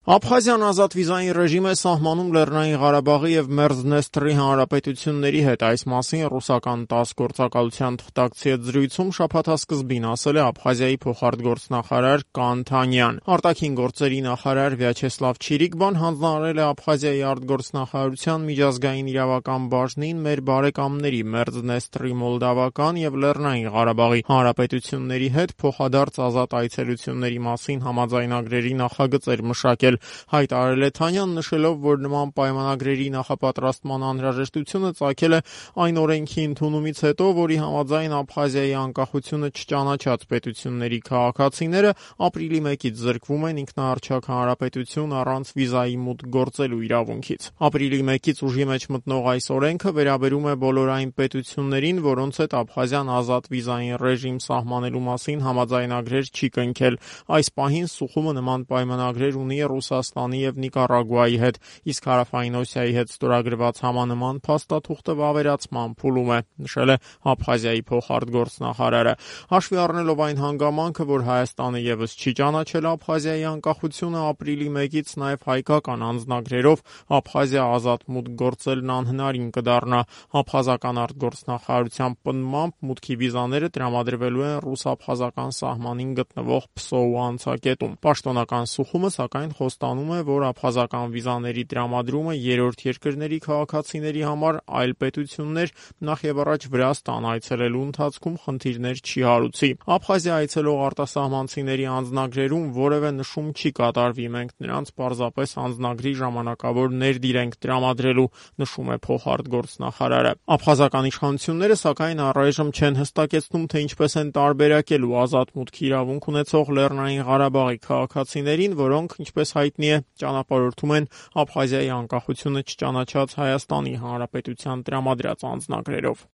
Աբխազիան ազատ վիզային ռեժիմ է սահմանում Լեռնային Ղարաբաղի եւ Մերձդնեստրի հանրապետությունների հետ։ Այս մասին ռուսական ՏԱՍՍ գործակալության թղթակցի հետ զրույցում շաբաթասկզբին ասել է Աբխազիայի փոխարտգործնախարար Կան Թանյան։ Արտաքին գործերի նախարար Վյաչեսլավ Չիրիկբան հանձնարարել է Աբխազիայի արտգործնախարարության միջազգային իրավական բաժնին մեր բարեկամների Մերձդնեստրի, Մոլդավական եւ Լեռնային Ղարաբաղի հանրապետությունների հետ փոխադարձ ազատ այցելությունների մասին համաձայնագրերի նախագծեր մշակել։ Հայտարարել է Թանյան, նշելով, որ նման պայմանագրերի նախապատրաստման անհրաժեշտությունը ծագել է այն օրենքի ընդունումից հետո, որի համաձայն Աբխազիայի անկախությունը չճանաչած պետությունների քաղաքացիները ապրիլի 1-ից զրկվում են ինքնաառչակ հանրապետություն առանց վիզայի մուտք գործելու իրավունքից։ Ապրիլի 1-ից ուժի մեջ մտնող այս օրենքը վերաբերում է բոլոր այն պետություններին, որոնց հետ Աբխազիան ազատ վիզային ռեժիմ սահմանելու մասին համաձայնագրեր չի կնքել։ Այս պահին Սուխումը նման պայմանագրեր ունի Ռուսաստանի եւ Նիկարագուայի հետ, իսկ Հարավային Օսիայի հետ ստորագրված համանման փաստաթուղթը վավերացման փուլում է, նշել է Աբխազիայի փոխարտգործնախարարը։ Հաշվի առնելով այն հանգամանքը, որ Հայաստանը եւս չի ճանաչել Աբխազիայի անկախությունը, ապրիլի 1-ից նաեւ հայկական անձնագրերով Աբխազիա ազատ մուտք գործելն անհնարին կդառնա։ Աբխազական արտգործնախարարության պնդմամբ մուտքի վիզաները տրամադրվելու են ռուս-աբխազական սահմանին գտնվող Փսոու անցակետում։ Պաշտոնական Սուխումը, սակայն, խոստանում է, որ աբխազական վիզաների տրամադրումը երրորդ երկրների քաղաքացիների համար այլ պետություններ, նախևառաջ Վրաստան այցելելու ընթացքում խնդիրներ չի հարուցի։ Աբխազիա այցելող արտասահմանցիների անձնագրերում որևէ նշում չի կատարվի, մենք նրանց պարզապես անձնագրի ժամանակավոր ներդիր ենք տրամադրելու, նշում է փոխարտգործնախարարը։ Աբխազական իշխանությունները, սակայն, առայժմ չեն հստակեցնում, թե ինչպես են տարբերակելու ազատ մուտքի իրավունք ունեցող Լեռնային Ղարաբաղի քաղաքացիներին, որոնք, ինչպես հայտնի է, ճանապարհորդում են Աբխազիայի անկախությունը չճանաչած Հայաստանի Հանրապետության տրամադրած անձնագրերով։